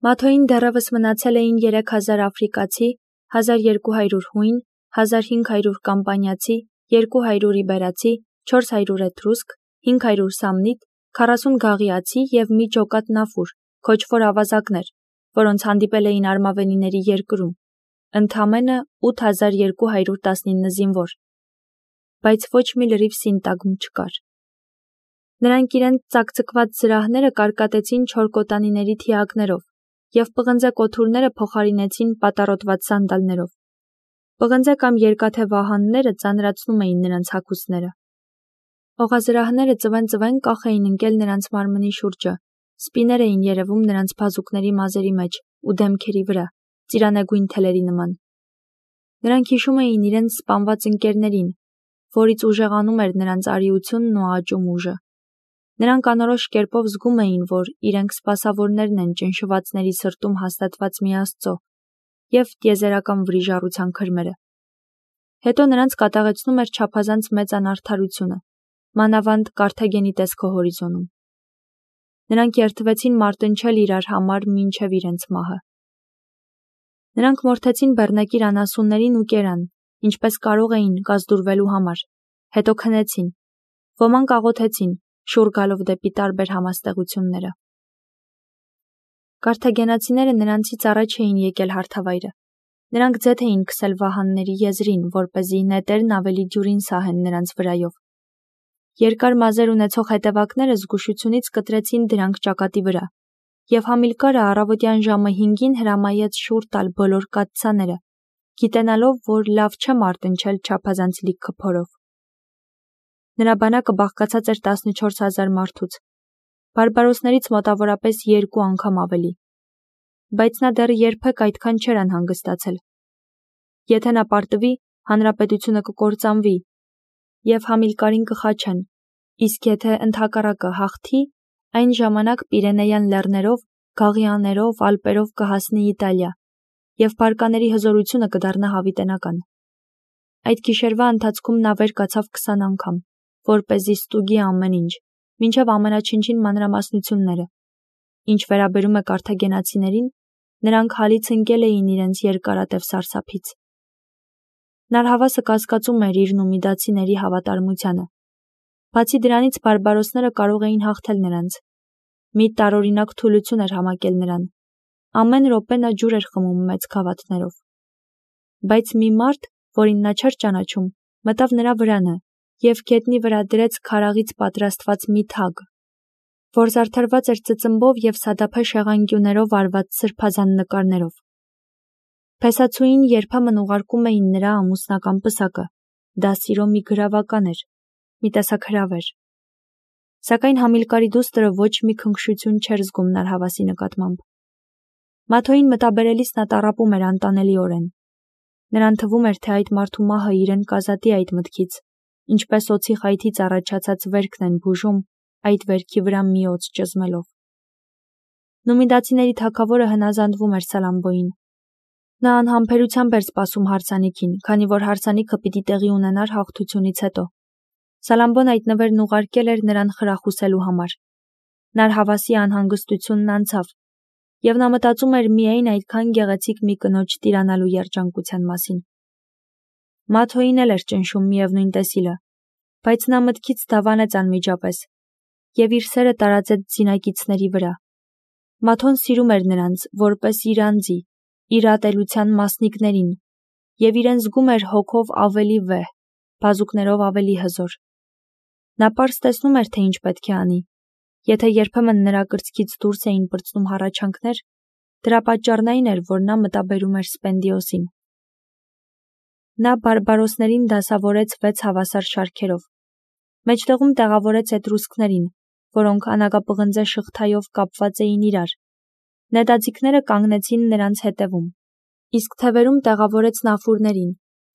Մաթոյին դեռևս մնացել էին 3000 աֆրիկացի, 1200 հույն, 1500 կամպանիացի, 200 իբերացի, 400 էտրուսկ, 500 սամնիտ, 40 գաղիացի և մի ջոկատ նաֆուր, քոչվոր ավազակներ, որոնց հանդիպել էին արմավենիների երկրում, ընդամենը 8219 զինվոր, բայց ոչ մի լրիվ սինտագմ չկար։ Նրանք իրենց ծակծկված զրահները կարկատեցին չորկոտանիների թիակներով և պղնձե կոթուրները փոխարինեցին պատառոտված սանդալներով։ Պղնձե կամ երկաթե վահանները ծանրացնում էին նրանց հագուստները։ Օղազրահները ծվեն կախ էին ընկել նրանց մարմնի շուրջը, սպիներ էին երևում նրանց բազուկների մազերի մեջ ու դեմքերի վրա, ծիրանեգույն թելերի նման։ Նրանք հիշում էին իրենց սպանված ընկերներին, որից ուժեղանում էր նրանց արիությունն ու աճում ուժը։ Նրանք անորոշ կերպով զգում էին, որ իրենք սպասավորներն են ճնշվածների սրտում հաստատված մի Աստծո և տիեզերական վրիժառության քրմերը։ Հետո նրանց կատաղեցնում էր չափազանց մեծ անարդարությունը, մանավանդ Կարթագենի տեսքո հորիզոնում։ Նրանք երդվեցին մարտնչել իրար համար մինչև իրենց մահը։ Նրանք մորթեցին բեռնակիր անասուններին ու կերան, ինչպես կարող էին կազդուրվելու համար, հետո քնեցին, ոմանք աղոթեցին, շուռ գալով դեպի տարբեր համաստեղությունները։ Կարթագենացիները նրանցից առաջ էին եկել հարթավայրը։ Նրանք ձեթ էին քսել վահանների եզրին, որպեսզի նետերն ավելի դյուրին սահեն նրանց վրայով։ Երկար մազեր ունեցող հետևակները զգուշությունից կտրեցին դրանք ճակատի վրա, և Համիլկարը առավոտյան ժամը 5-ին հրամայեց շուռ տալ բոլոր կաթսաները, գիտենալով, որ լավ չէ մարտնչել չափազանց լիքը փորով։ Նրա բանակը բաղկացած էր 14000 մարդուց, բարբարոսներից մոտավորապես 2 անգամ ավելի, բայց նա դեռ երբեք այդքան չէր անհանգստացել։ Եթե նա պարտվի, հանրապետությունը կկործանվի, և Համիլկարին կխաչեն, իսկ եթե ընդհակառակը հաղթի, այն ժամանակ Պիրենեյան լեռներով, Գաղիաներով, Ալպերով կհասնի Իտալիա, և բարկաների հզորությունը կդառնա հավիտենական։ Այդ գիշերվա ընթացքում նա վեր կացավ 20 անգամ, որպեսզի ստուգի ամեն ինչ, մինչև ամենաչնչին մանրամասնությունները։ Ինչ վերաբերում է կարթագենացիներին, նրանք հալից ընկել էին իրենց երկարատև սարսափից։ Նարհավասը կասկածում էր իր նումիդացիների հավատարմությանը։ Բացի դրանից բարբարոսները կարող էին հաղթել նրանց։ Մի տարօրինակ թուլություն էր համակել նրան։ Ամեն րոպե նա ջուր էր խմում մեծ գավաթներով։ Բայց մի մարդ, որին նա չէր ճանաչում, մտավ նրա վրանը և գետնի վրա դրեց քարաղից պատրաստված մի թագ, որ զարդարված էր ծծմբով և սադափե շեղանկյուններով արված սրբազան նկարներով։ Փեսացուին երբեմն ուղարկում էին նրա ամուսնական պսակը, դա սիրո մի գրավական էր, մի տեսակ հրավեր։ Սակայն Համիլկարի դուստրը ոչ մի քնքշություն չէր զգում Նարհավասի նկատմամբ։ Մաթոյին մտաբերելիս նա տառապում էր անտանելիորեն։ Նրան թվում էր, թե այդ մարդու մահը իրեն կազատի այդ մտքից, ինչպես օձի խայթից առաջացած վերքն են բուժում, այդ վերքի վրա մի օձ ճզմելով։ Նումիդացիների թագավորը հնազանդվում էր Սալամբոյին։ Նա անհամբերությամբ էր սպասում հարսանիքին, քանի որ հարսանիքը պիտի տեղի ունենար հաղթությունից հետո։ Սալամբոն այդ նվերն ուղարկել էր նրան խրախուսելու համար։ Նարհավասի անհանգստությունն անցավ, և նա մտածում էր միայն այդքան գեղեցիկ մի կնոջ տիրանալու երջանկության մասին։ Մաթոյին էլ էր ճնշում միևնույն տեսիլը, բայց նա մտքից դավանեց անմիջապես և իր սերը տարածեց զինակիցների վրա։ Մաթոն սիրում էր նրանց, որպես իր անձի, իր ատելության մասնիկներին, և իրեն զգում էր հոգով ավելի վեհ, բազուկներով ավելի հզոր։ Նա պարզ տեսնում էր, թե ինչ պետք է անի։ Եթե երբեմն նրա կրծքից դուրս էին պրծնում հառաչանքներ, դրա պատճառն այն էր, որ նա մտաբերում էր Սպենդիոսին։ Նա բարբարոսներին դասավորեց 6 հավասար շարքերով։ Մեջտեղում տեղավորեց էտրուսկներին, որոնք անագապղնձե շղթայով կապված էին իրար։ Նետաձիգները կանգնեցին նրանց հետևում, իսկ թևերում տեղավորեց նաֆուրներին,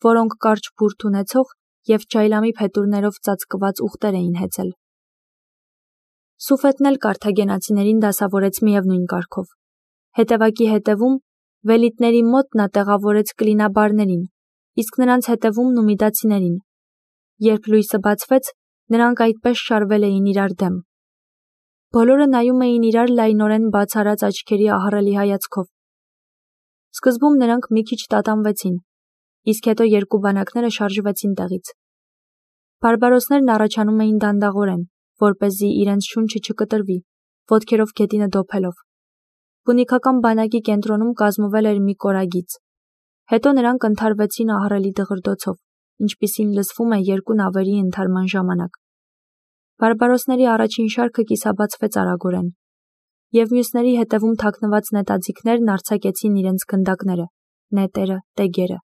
որոնք կարճ բուրդ ունեցող և ջայլամի փետուրներով ծածկված ուղտեր էին հեծել։ Սուֆետն էլ կարթագենացիներին դասավորեց միևնույն կարգով։ Հետևակի հետևում, վելիտների մոտ նա տեղավորեց կլինաբարներին, իսկ նրանց հետևում նումիդացիներին։ Երբ լույսը բացվեց, նրանք այդպես շարվել էին իրար դեմ։ Բոլորը նայում էին իրար լայնորեն բաց արած աչքերի ահռելի հայացքով։ Սկզբում նրանք մի քիչ տատանվեցին, իսկ հետո երկու բանակները շարժվեցին տեղից։ Բարբարոսներն առաջանում էին դանդաղորեն, որպեսզի իրենց շունչը չկտրվի, ոտքերով գետինը դոփելով։ Պունիկական բանակի կենտրոնում կազմվել էր մի կորագիծ։ Հետո նրանք ընդհարվեցին ահռելի դղրդոցով, ինչպիսին լսվում է երկու նավերի ընդհարման ժամանակ։ Բարբարոսների առաջին շարքը կիսաբացվեց արագորեն, և մյուսների հետևում թաքնված նետաձիգներն արձակեցին իրենց գնդակները, նետերը, տեգերը։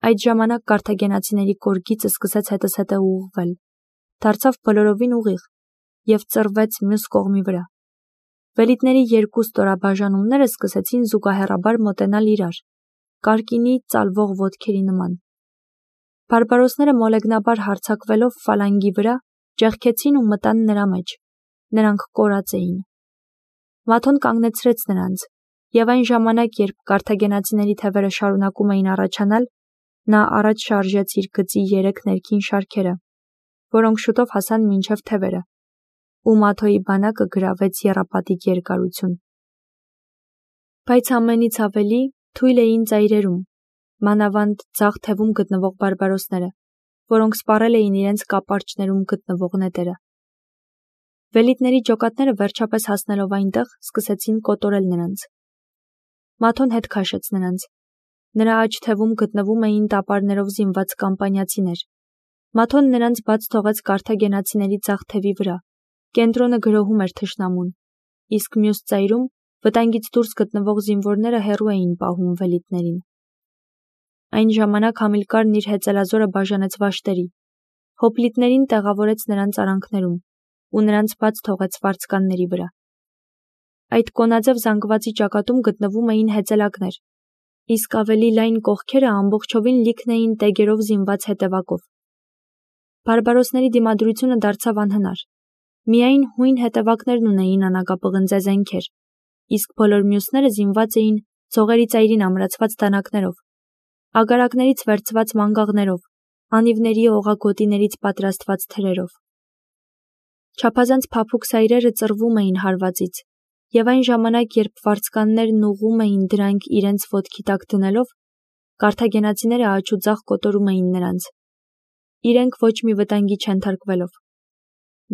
Այդ ժամանակ կարթագենացիների կորգիծը սկսեց հետզհետե ուղղվել, դարձավ բոլորովին ուղիղ և ծռվեց մյուս կողմի վրա։ Վելիտների երկու ստորաբաժանումները սկսեցին զուգահեռաբար մոտենալ իրար, կարկինի ծալվող ոտքերի նման։ Բարբարոսները մոլեգնաբար հարձակվելով ֆալանգի վրա, ճեղքեցին ու մտան նրա մեջ։ Նրանք կորած էին։ Մաթոն կանգնեցրեց նրանց, և այն ժամանակ, երբ կարթագենացիների թևերը շարունակում էին առաջանալ, նա առաջ շարժեց իր գծի 3 ներքին շարքերը, որոնք շուտով հասան մինչև թևերը, ու Մաթոյի բանակը գրավեց եռապատիկ երկարություն։ Բայց ամենից ավելի թույլ էին ծայրերում, մանավանդ ձախ թևում գտնվող բարբարոսները, որոնք սպառել էին իրենց կապարճներում գտնվող նետերը։ Վելիտների ջոկատները վերջապես հասնելով այնտեղ, սկսեցին կոտորել նրանց։ Մաթոն հետ քաշեց նրանց։ Նրա աջ թևում գտնվում էին տապարներով զինված կամպանիացիներ։ Մաթոն նրանց բաց թողեց կարթագենացիների ձախ թևի վրա, կենտրոնը գրոհում էր թշնամուն, իսկ մյուս ծայրում վտանգից դուրս գտնվող զինվորները հեռու էին պահում վելիտներին։ Այն ժամանակ Համիլկարն իր հեծելազորը բաժանեց վաշտերի, հոպլիտներին տեղավորեց նրանց արանքներում ու նրանց բաց թողեց վարձկանների վրա։ Այդ կոնաձև զանգվածի ճակատում գտնվում էին հեծելակներ, իսկ ավելի լայն կողքերը ամբողջովին լիքն էին տեգերով զինված հետևակով։ Բարբարոսների դիմադրությունը դարձավ անհնար։ Միայն հույն հետևակներն ունեին անագապղնձե զենքեր, իսկ բոլոր մյուսները զինված էին ցողերի ծայրին ամրացված դանակներով, ագարակներից վերցված մանգաղներով, անիվների օղագոտիներից պատրաստված թրերով։ Չափազանց փափուկ սայրերը ծռվում էին հարվածից, և այն ժամանակ, երբ վարձկաններն ուղղում էին դրանք իրենց ոտքի տակ դնելով, կարթագենացիները աջուձախ կոտորում էին նրանց, իրենք ոչ մի վտանգի չենթարկվելով։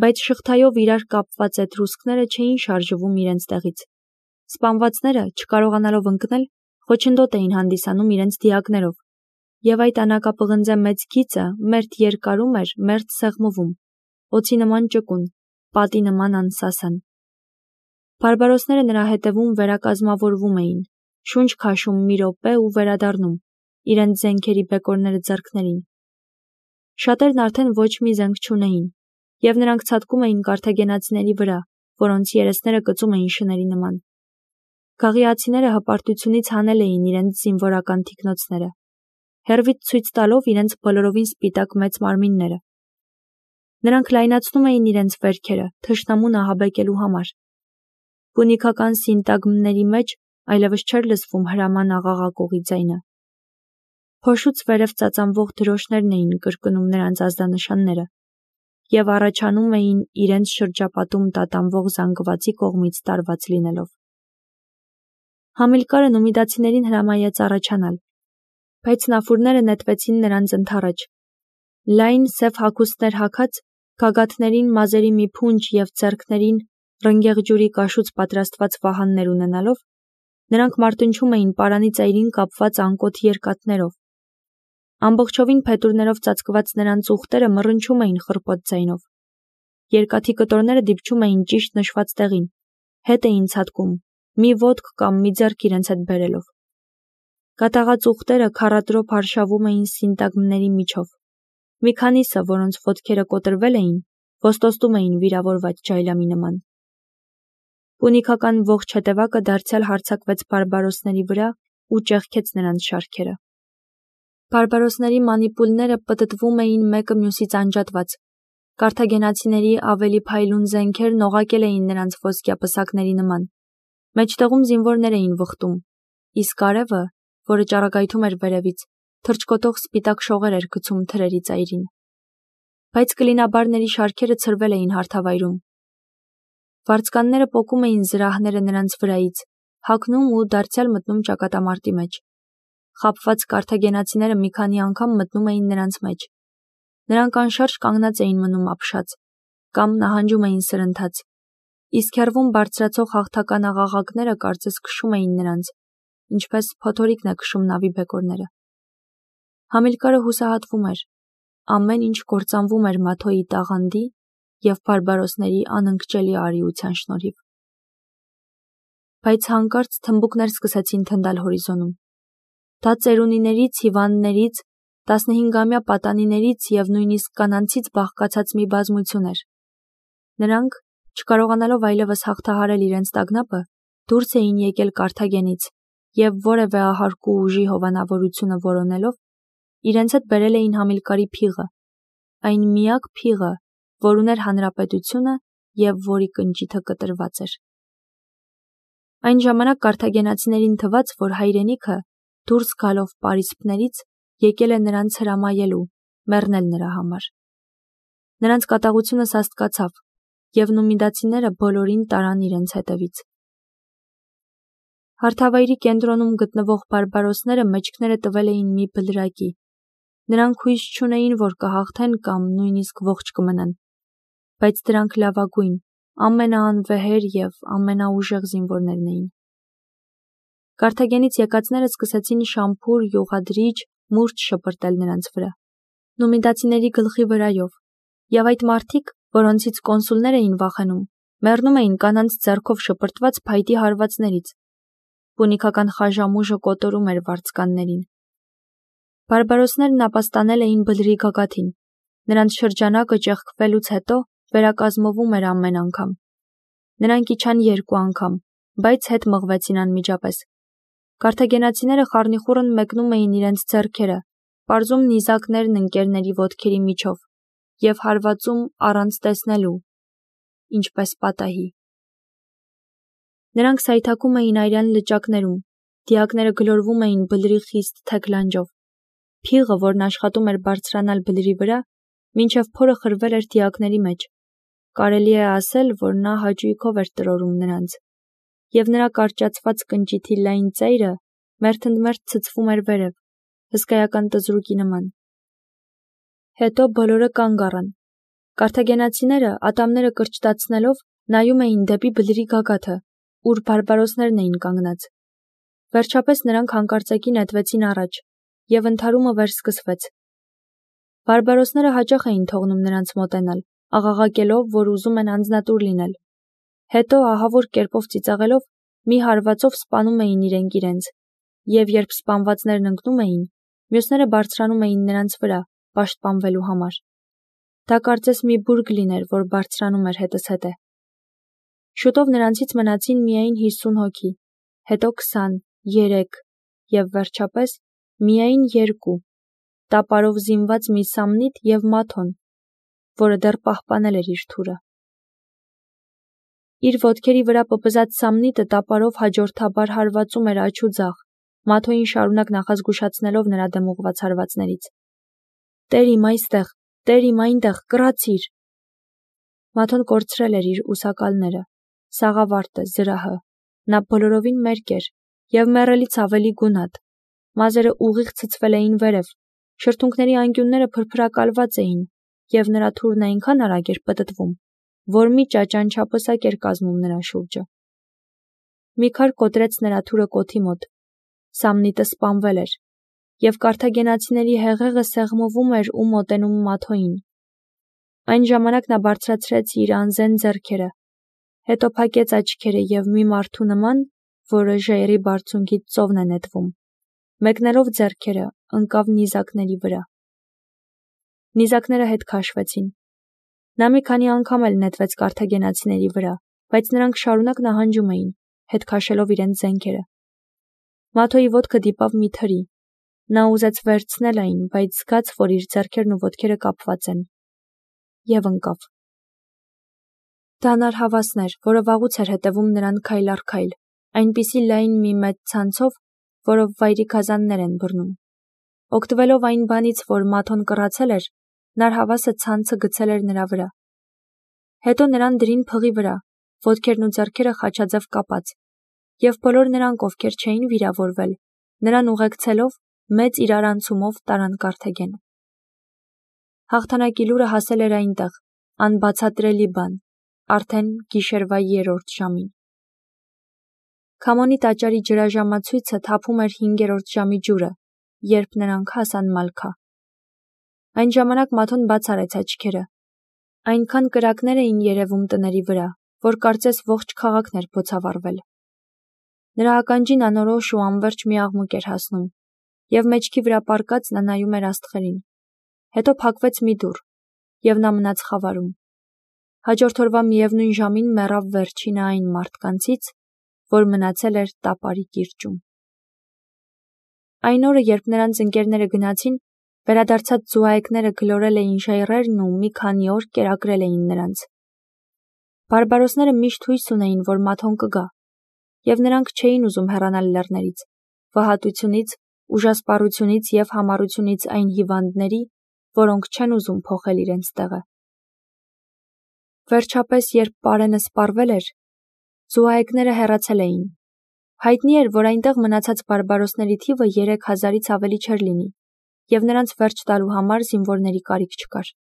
Բայց շղթայով իրար կապված էտրուսկները չէին շարժվում իրենց տեղից։ Սպանվածները, չկարողանալով ընկնել, խոչընդոտ էին հանդիսանում իրենց դիակներով, և այդ անագապղնձե մեծ գիծը մերթ երկարում էր, մերթ սեղմվում, օձի նման ճկուն, պատի նման անսասան։ Բարբարոսները նրա հետևում վերակազմավորվում էին, շունչ քաշում մի րոպե ու վերադառնում, իրենց զենքերի բեկորները ձեռքներին։ Շատերն արդեն ոչ մի զենք չունեին, և նրանք ցատկում էին կարթագենացիների վրա, որոնց երեսները կծում էին շների նման։ Գաղիացիները հպարտությունից հանել էին իրենց զինվորական թիկնոցները, հեռվից ցույց տալով իրենց բոլորովին սպիտակ մեծ մարմինները։ Նրանք լայնացնում էին իրենց վերքերը թշնամուն ահաբեկելու համար։ Պունիկական սինտագմների մեջ այլևս չէր լսվում հրաման աղաղակողի ձայնը։ Փոշուց վերև ծածանվող դրոշներն էին կրկնում նրանց ազդանշանները և առաջանում էին իրենց շրջապատում տատանվող զանգվածի կողմից տարված լինելով։ Համիլկարը նումիդացիներին հրամայեց առաջանալ, բայց նաֆուրները նետվեցին նրանց ընդառաջ։ Լայն սև հագուստներ հագած, գագաթներին մազերի մի փունջ և ձեռքներին ռնգեղ ջուրի կաշուց պատրաստված վահաններ ունենալով, նրանք մարտնչում էին պարանի ծայրին կապված անկոտ երկաթներով։ Ամբողջովին փետուրներով ծածկված նրանց ուղտերը մռնչում էին խռպոտ ձայնով։ Երկաթի կտորները դիպչում էին ճիշտ նշված տեղին, հետ էին ցատկում, մի ոտք կամ մի ձեռք իրենց հետ բերելով։ Կատաղած ուղտերը քառատրոփ արշավում էին սինտագմների միջով։ Մի քանիսը, որոնց ոտքերը կոտրվել էին, ոստոստում էին վիրավորված ջայլամի նման։ Պունիկական ողջ հետևակը դարձյալ հարձակվեց բարբարոսների վրա ու ճեղքեց նրանց շարքերը։ Բարբարոսների մանիպուլները պտտվում էին մեկը մյուսից անջատված։ Կարթագենացիների ավելի փայլուն զենքերն օղակել էին նրանց ոսկյա պսակների նման։ Մեջտեղում զինվորներ էին վխտում, իսկ արևը, որը ճառագայթում էր վերևից, թռչկոտող սպիտակ շողեր էր գցում թրերի ծայրին։ Բայց կլինաբարների շարքերը ցրվել էին հարթավայրում։ Վարձկանները պոկում էին զրահները նրանց վրայից, հագնում ու դարձյալ մտնում ճակատամարտի մեջ։ Խաբված կարթագենացիները մի քանի անգամ մտնում էին նրանց մեջ։ Նրանք անշարժ կանգնած էին մնում ապշած, կամ նահանջում էին սրընթաց, իսկ հեռվում բարձրացող հաղթական աղաղակները կարծես քշում էին նրանց, ինչպես փոթորիկն է քշում նավի բեկորները։ Համիլկարը հուսահատվում էր, ամեն ինչ կործանվում էր Մաթոյի տաղանդի և բարբարոսների անընկճելի արիության շնորհիվ։ Բայց հանկարծ թմբուկներ սկսեցին թնդալ հորիզոնում։ Դա ծերունիներից, հիվանդներից, 15-ամյա պատանիներից և նույնիսկ կանանցից բաղկացած մի բազմություն էր։ Նրանք, չկարողանալով այլևս հաղթահարել իրենց տագնապը, դուրս էին եկել Կարթագենից և որևէ ահարկու ուժի հովանավորությունը որոնելով, իրենց հետ բերել էին Համիլկարի փիղը, այն միակ փիղը, որ ուներ հանրապետությունը և որի կնճիթը կտրված էր։ Այն ժամանակ կարթագենացիներին թվաց, որ հայրենիքը, դուրս գալով պարիսպներից, եկել է նրանց հրամայելու, մեռնել նրա համար։ Նրանց կատաղությունը սաստկացավ, և նումիդացիները բոլորին տարան իրենց հետևից։ Հարթավայրի կենտրոնում գտնվող բարբարոսները մեջքները տվել էին մի բլրակի։ Նրանք հույս չունեին, որ կհաղթեն կամ նույնիսկ ողջ կմնան, բայց դրանք լավագույն, ամենաանվեհեր և ամենաուժեղ զինվորներն էին։ Կարթագենից եկածները սկսեցին շամփուր, յուղադրիչ, մուրճ շպրտել նրանց վրա, նումիդացիների գլխի վրայով, և այդ մարդիկ, որոնցից կոնսուլներ էին վախենում, մեռնում էին կանանց ձեռքով շպրտված փայտի հարվածներից։ Պունիկական խաժամուժը կոտորում էր վարձկաններին։ Բարբարոսներն ապաստանել էին բլրի գագաթին։ Նրանց շրջանակը ճեղքվելուց հետո վերակազմվում էր ամեն անգամ։ Նրանք իջան 2 անգամ, բայց հետ մղվեցին անմիջապես։ Կարթագենացիները խառնիխուռն մեկնում էին իրենց ձեռքերը, պարզում նիզակներն ընկերների ոտքերի միջով և հարվածում առանց տեսնելու, ինչպես պատահի։ Նրանք սայթաքում էին արյան լճակներում, դիակները գլորվում էին բլրի խիստ թեք լանջով։ Փիղը, որն աշխատում էր բարձրանալ բլրի վրա, մինչև փորը խրվել էր դիակների մեջ։ Կարելի է ասել, որ նա հաճույքով էր տրորում նրանց, և նրա կարճացված կնճիթի լայն ծայրը մերթընդմերթ ցցվում էր վերև, հսկայական տզրուկի նման։ Հետո բոլորը կանգ առան։ Կարթագենացիները, ատամները կրճտացնելով, նայում էին դեպի բլրի գագաթը, ուր բարբարոսներն էին կանգնած։ Վերջապես նրանք հանկարծակի նետվեցին առաջ, և ընդհարումը վերսկսվեց։ Բարբարոսները հաճախ էին թողնում նրանց մոտենալ, աղաղակելով, որ ուզում են անձնատուր լինել։ Հետո ահավոր կերպով ծիծաղելով, մի հարվածով սպանում էին իրենք իրենց, և երբ սպանվածներն ընկնում էին, մյուսները բարձրանում էին նրանց վրա, պաշտպանվելու համար։ Դա կարծես մի բուրգ լիներ, որ բարձրանում էր հետզհետե։ Շուտով նրանցից մնացին միայն 50 հոգի, հետո 20, 3 և վերջապես միայն 2, տապարով զինված մի Սամնիտ և Մաթոն, որը դեռ պահպանել էր իր թուրը։ Իր ոտքերի վրա պպզած Սամնիտը տապարով հաջորդաբար հարվածում էր աջ ու ձախ, Մաթոյին շարունակ նախազգուշացնելով նրա դեմ ուղղված հարվածներից։ «Տեր իմ այստեղ, Տեր իմ այնտեղ, կռացիր»։ Մաթոն կորցրել էր իր ուսակալները, սաղավարտը, զրահը։ Նա բոլորովին մերկ էր և մեռելից ավելի գունատ։ Մազերը ուղիղ ցցվել էին վերև, շրթունքների անկյունները փրփրակալված էին, և նրա թուրն այնքան արագ էր պտտվում, որ մի ճաճանչափսակ էր կազմում նրա շուրջը։ Մի քար կոտրեց նրա թուրը կոթի մոտ։ Սամնիտը սպանվել էր, և կարթագենացիների հեղեղը սեղմվում էր ու մոտենում Մաթոյին։ Այն ժամանակ նա բարձրացրեց իր անզեն ձեռքերը, հետո փակեց աչքերը և մի մարդու նման, որը ժայռի բարձունքից ծովն է նետվում, մեկնելով ձեռքերը, ընկավ նիզակների վրա։ Նիզակները հետ քաշվեցին։ Նա մի քանի անգամ էլ նետվեց կարթագենացիների վրա, բայց նրանք շարունակ նահանջում էին, հետ քաշելով իրենց զենքերը։ Մաթոյի ոտքը դիպավ մի թրի։ Նա ուզեց վերցնել այն, բայց զգաց, որ իր ձեռքերն ու ոտքերը կապված են, և ընկավ։ Դա նարհավասն էր, որը վաղուց էր հետևում նրան քայլ առ քայլ, այնպիսի լայն մի մեծ ցանցով, որով վայրի գազաններ են բռնում։ Օգտվելով այն բանից, որ Մաթոն կռացել էր, նարհավասը ցանցը գցել էր նրա վրա։ Հետո նրան դրին փղի վրա, ոտքերն ու ձեռքերը խաչաձև կապած, և բոլոր նրանք, ովքեր չէին վիրավորվել, նրան ուղեկցելով մեծ իրարանցումով տարան Կարթագեն։ Հաղթանակի լուրը հասել էր այնտեղ, անբացատրելի բան, արդեն գիշերվա 3-րդ ժամին։ Քամոնի տաճարի ջրաժամացույցը թափում էր 5-րդ ժամի ջուրը, երբ նրանք հասան Մալքա։ Այն ժամանակ Մաթոն բաց արեց աչքերը։ Այնքան կրակներ էին երևում տների վրա, որ կարծես ողջ քաղաքն էր բոցավառվել։ Նրա ականջին անորոշ ու անվերջ մի աղմուկ էր հասնում, և մեջքի վրա պառկած նա նայում էր աստղերին։ Հետո փակվեց մի դուռ, և նա մնաց խավարում։ Հաջորդ օրվա միևնույն ժամին մեռավ վերջինը այն մարդկանցից, որ մնացել էր տապարի կիրճում։ Այն օրը, երբ նրանց ընկերները գնացին, վերադարձած զուհայեկները գլորել էին ժայռերն ու մի քանի օր կերակրել էին նրանց։ Բարբարոսները միշտ հույս ունեին, որ Մաթոն կգա, և նրանք չէին ուզում հեռանալ լեռներից, վհատությունից, ուժասպառությունից և համառությունից այն հիվանդների, որոնք չեն ուզում փոխել իրենց տեղը։ Վերջապես, երբ պարենը սպառվել էր, զուհայեկները հեռացել էին։ Հայտնի էր, որ այնտեղ մնացած բարբարոսների թիվը 3000-ից ավելի չէր լինի, և նրանց վերջ տալու համար զինվորների կարիք չկար։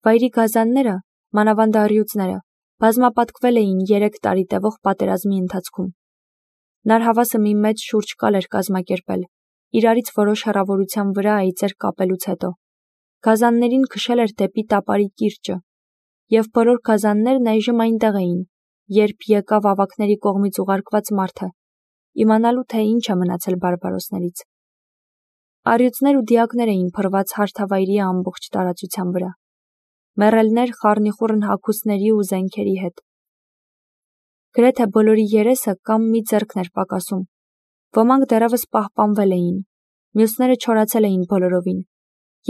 Վայրի գազանները, մանավանդ առյուծները, բազմապատկվել էին 3 տարի տևող պատերազմի ընթացքում։ Նարհավասը մի մեծ շուրջկալ էր կազմակերպել, իրարից որոշ հեռավորության վրա այծեր կապելուց հետո։ Գազաններին քշել էր դեպի տապարի կիրճը, և բոլոր գազաններն այժմ այնտեղ էին, երբ եկավ ավագների կողմից ուղարկված մարդը, իմանալու թե ինչ է մնացել բարբարոսներից։ Առյուծներ ու դիակներ էին փռված հարթավայրի ամբողջ տարածության վրա։ Մեռելներ խառնիխուռն հագուստների ու զենքերի հետ։ Գրեթե բոլորի երեսը կամ մի ձեռքն էր պակասում։ Ոմանք դեռևս պահպանվել էին, մյուսները չորացել էին բոլորովին,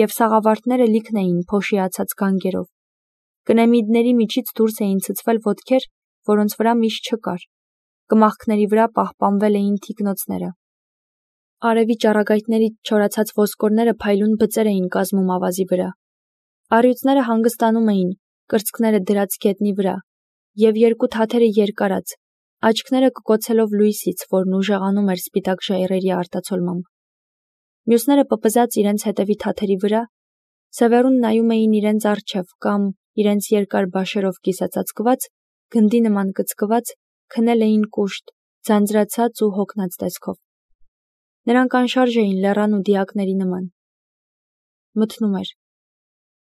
և սաղավարտները լիքն էին փոշիացած գանգերով։ Կնեմիդների միջից դուրս էին ցցվել ոտքեր, որոնց վրա միշ չկար։ Կմախքների վրա պահպանվել էին թիկնոցները։ Արևի ճառագայթներից չորացած ոսկորները փայլուն բծեր էին կազմում ավազի վրա։ Առյուծները հանգստանում էին, կրծքները դրած գետնի վրա, և երկու թաթերը երկարած, աչքները կկոցելով լույսից, որն ուժեղանում էր սպիտակ ժայռերի արտացոլմամբ։ Մյուսները պպզած իրենց հետևի թաթերի վրա, սևեռուն նայում էին իրենց առջև կամ իրենց երկար բաշերով կիսածածկված, գնդի նման կծկված, քնել էին կուշտ, ձանձրացած ու հոգնած տեսքով։ Նրանք անշարժ էին լեռան ու դիակների նման։ Մթնում էր։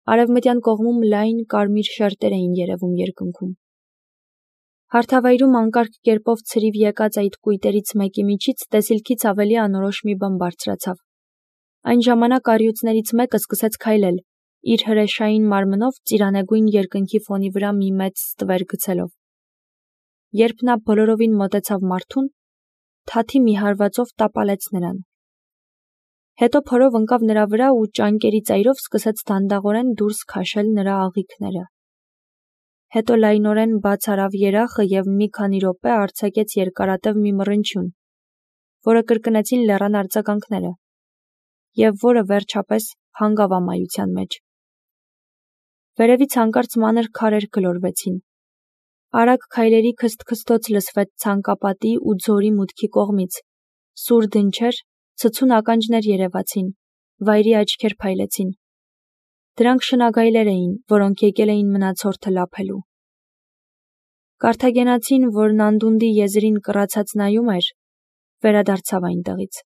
Արևմտյան կողմում լայն կարմիր շերտեր էին երևում երկնքում։ Հարթավայրում անկարգ կերպով ցրիվ եկած այդ կույտերից մեկի միջից տեսիլքից ավելի անորոշ մի բան բարձրացավ։ Այն ժամանակ առյուծներից մեկը սկսեց քայլել, իր հրեշային մարմնով ծիրանեգույն երկնքի ֆոնի վրա մի մեծ ստվեր գցելով։ Երբ նա բոլորովին մոտեցավ մարդուն, թաթի մի հարվածով տապալեց նրան։ Հետո փորով ընկավ նրա վրա ու ճանկերի ծայրով սկսեց դանդաղորեն դուրս քաշել նրա աղիքները։ Հետո լայնորեն բաց արավ երախը և մի քանի րոպե արձակեց երկարատև մի մռնչյուն, որը կրկնեցին լեռան արձագանքները, և որը վերջապես հանգավ ամայության մեջ։ Վերևից հանկարծ մանր քարեր գլորվեցին։ Արագ քայլերի քսթքսթոց լսվեց ցանկապատի ու ձորի մուտքի կողմից, սուր դնչեր, ցցուն ականջներ երևացին, վայրի աչքեր փայլեցին։ Դրանք շնագայլեր էին, որոնք եկել էին մնացորդը լափելու։ Կարթագենացին, որն անդունդի եզրին կռացած նայում էր, վերադարձավ այնտեղից։